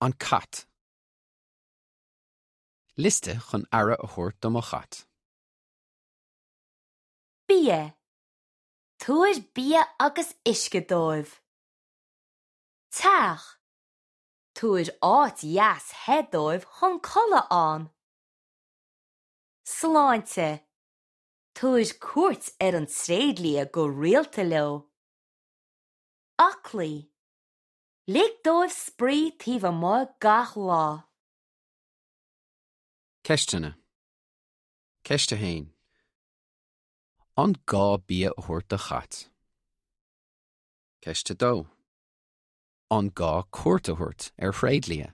An cat. Liosta chun aire a thabhairt do mo chat. Bia. Tabhair bia agus uisce dóibh. Teach. Tabhair áit dheas the dóibh chun codladh ann. Sláinte. Tabhair cuairt ar an tréidlia go rialta leo. Aclaí. Lig dóibh spraoi taobh amuigh gach lá. Ceisteanna. Ceist 1. An gá bia a thabhairt do chait? Ceist 2. An gá cuairt a thabhairt ar thréidlia?